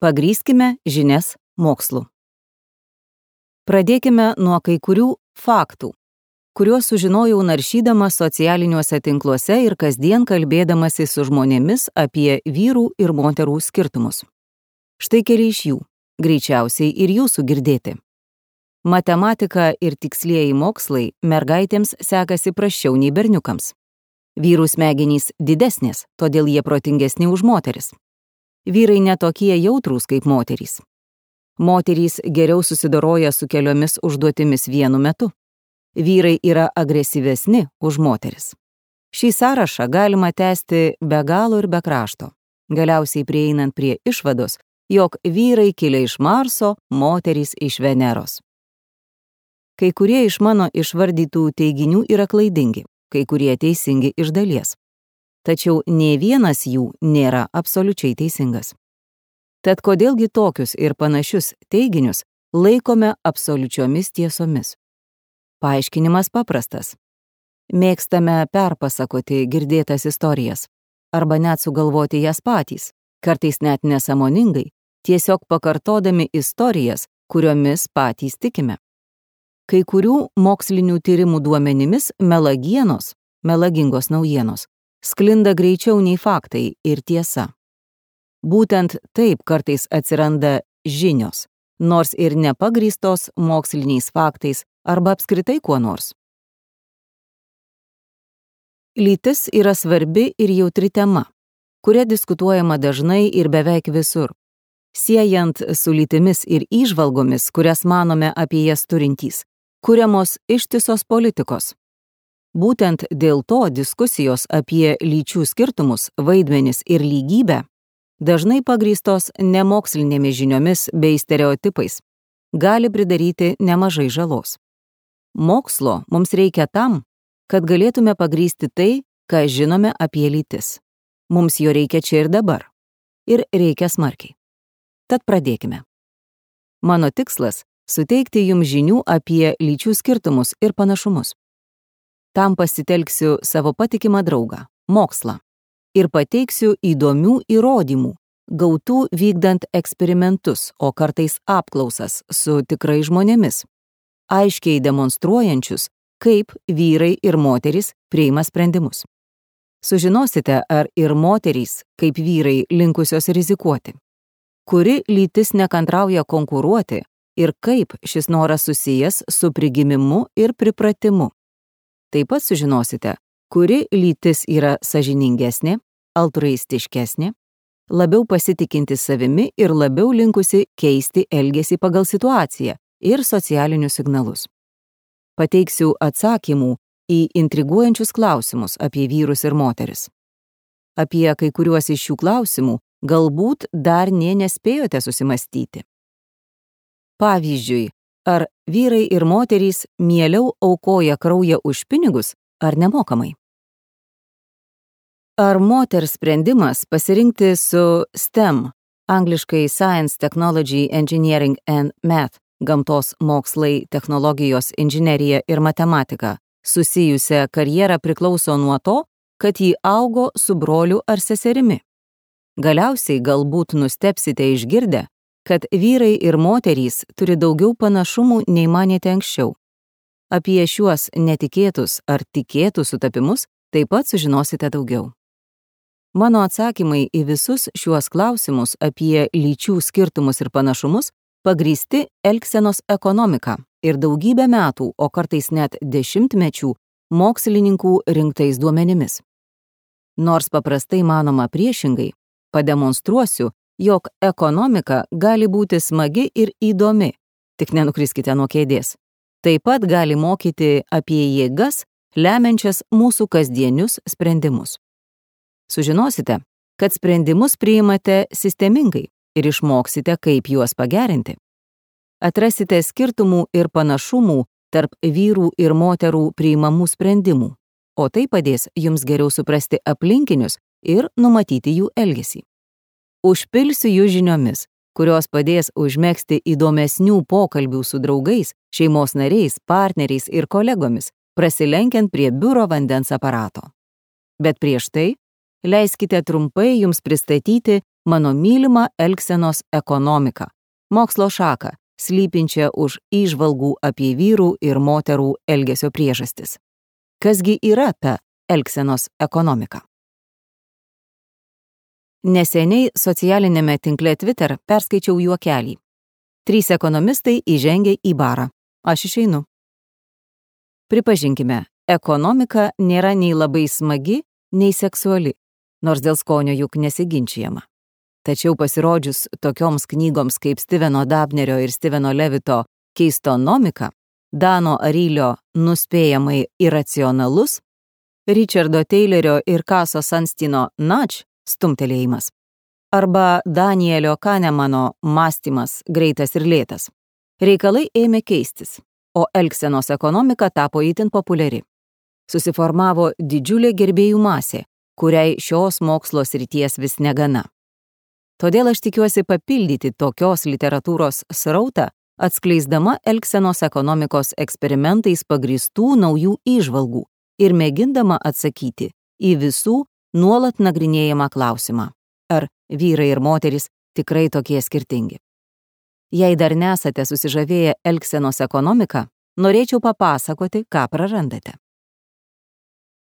Pagrįskime žinias mokslu. Pradėkime nuo kai kurių faktų, kuriuos sužinojau naršydama socialiniuose tinkluose ir kasdien kalbėdamasi su žmonėmis apie vyrų ir moterų skirtumus. Štai keli iš jų, greičiausiai ir jūsų girdėti. Matematika ir tikslieji mokslai mergaitėms sekasi prasčiau nei berniukams. Vyrų smegenys didesnės, todėl jie protingesni už moteris. Vyrai netokie jautrūs kaip moterys. Moterys geriau susidoroja su keliomis užduotimis vienu metu. Vyrai yra agresyvesni už moteris. Šį sąrašą galima tęsti be galo ir be krašto, galiausiai prieinant prie išvados, jog vyrai kilę iš Marso, moterys iš Veneros. Kai kurie iš mano išvardytų teiginių yra klaidingi, kai kurie teisingi iš dalies. Tačiau nė vienas jų nėra absoliučiai teisingas. Tad kodėlgi tokius ir panašius teiginius laikome absoliučiomis tiesomis? Paaiškinimas paprastas. Mėgstame perpasakoti girdėtas istorijas, arba net sugalvoti jas patys, kartais net nesąmoningai, tiesiog pakartodami istorijas, kuriomis patys tikime. Kai kurių mokslinių tyrimų duomenimis melagingos naujienos, sklinda greičiau nei faktai ir tiesa. Būtent taip kartais atsiranda žinios, nors ir nepagrįstos moksliniais faktais arba apskritai kuo nors. Lytis yra svarbi ir jautri tema, kuria diskutuojama dažnai ir beveik visur, siejant su lytimis ir įžvalgomis, kurias manome apie jas turintys, kuriamos ištisos politikos. Būtent dėl to diskusijos apie lyčių skirtumus, vaidmenis ir lygybę dažnai pagrįstos nemokslinėmis žiniomis bei stereotipais gali pridaryti nemažai žalos. Mokslo mums reikia tam, kad galėtume pagrįsti tai, ką žinome apie lytis. Mums jo reikia čia ir dabar. Ir reikia smarkiai. Tad pradėkime. Mano tikslas – suteikti jums žinių apie lyčių skirtumus ir panašumus. Tam pasitelksiu savo patikimą draugą – mokslą, ir pateiksiu įdomių įrodymų, gautų vykdant eksperimentus, o kartais apklausas su tikrai žmonėmis, aiškiai demonstruojančius, kaip vyrai ir moterys priima sprendimus. Sužinosite, ar ir moterys, kaip vyrai, linkusios rizikuoti, kuri lytis nekantrauja konkuruoti ir kaip šis noras susijęs su prigimimu ir pripratimu. Taip pat sužinosite, kuri lytis yra sąžiningesnė, altruistiškesnė, labiau pasitikinti savimi ir labiau linkusi keisti elgesį pagal situaciją ir socialinius signalus. Pateiksiu atsakymų į intriguojančius klausimus apie vyrus ir moteris. Apie kai kuriuos iš šių klausimų galbūt dar nespėjote susimastyti. Pavyzdžiui, ar vyrai ir moterys mieliau aukoja kraują už pinigus ar nemokamai? Ar moters sprendimas pasirinkti su STEM, angliškai Science, Technology, Engineering and Math, gamtos mokslai, technologijos, inžinerija ir matematika, susijusią karjerą priklauso nuo to, kad ji augo su broliu ar seserimi? Galiausiai galbūt nustebsite išgirdę, kad vyrai ir moterys turi daugiau panašumų nei manėte anksčiau. Apie šiuos netikėtus ar tikėtus sutapimus taip pat sužinosite daugiau. Mano atsakymai į visus šiuos klausimus apie lyčių skirtumus ir panašumus pagrįsti elgsenos ekonomika ir daugybę metų, o kartais net dešimtmečių mokslininkų rinktais duomenimis. Nors paprastai manoma priešingai, pademonstruosiu, jog ekonomika gali būti smagi ir įdomi, tik nenukriskite nuo kėdės. Taip pat gali mokyti apie jėgas, lemiančias mūsų kasdienius sprendimus. Sužinosite, kad sprendimus priimate sistemingai ir išmoksite, kaip juos pagerinti. Atrasite skirtumų ir panašumų tarp vyrų ir moterų priimamų sprendimų, o tai padės jums geriau suprasti aplinkinius ir numatyti jų elgesį. Užpilsiu jų žiniomis, kurios padės užmegzti įdomesnių pokalbių su draugais, šeimos nariais, partneriais ir kolegomis, prasilenkiant prie biuro vandens aparato. Bet prieš tai leiskite trumpai jums pristatyti mano mylimą elgsenos ekonomiką, mokslo šaką, slypinčią už įžvalgų apie vyrų ir moterų elgesio priežastis. Kasgi yra ta elgsenos ekonomika? Neseniai socialinėme tinkle Twitter perskaičiau juokelį. 3 ekonomistai įžengė į barą. Aš išeinu. Pripažinkime, ekonomika nėra nei labai smagi, nei seksuali, nors dėl skonio juk nesiginčijama. Tačiau pasirodžius tokioms knygoms kaip Steveno Dabnerio ir Steveno Levito Keistonomika, Dano Arylio Nuspėjamai iracionalus, Richardo Taylerio ir Kaso Sunsteino Nudge stumtelėjimas, arba Danielio Kahnemano Mąstymas greitas ir lėtas, reikalai ėmė keistis, o elgsenos ekonomika tapo itin populiari. Susiformavo didžiulė gerbėjų masė, kuriai šios mokslo srities vis negana. Todėl aš tikiuosi papildyti tokios literatūros srautą, atskleisdama elgsenos ekonomikos eksperimentais pagrįstų naujų įžvalgų ir mėgindama atsakyti į visų nuolat nagrinėjamą klausimą, ar vyrai ir moterys tikrai tokie skirtingi. Jei dar nesate susižavėję elgsenos ekonomiką, norėčiau papasakoti, ką prarandate.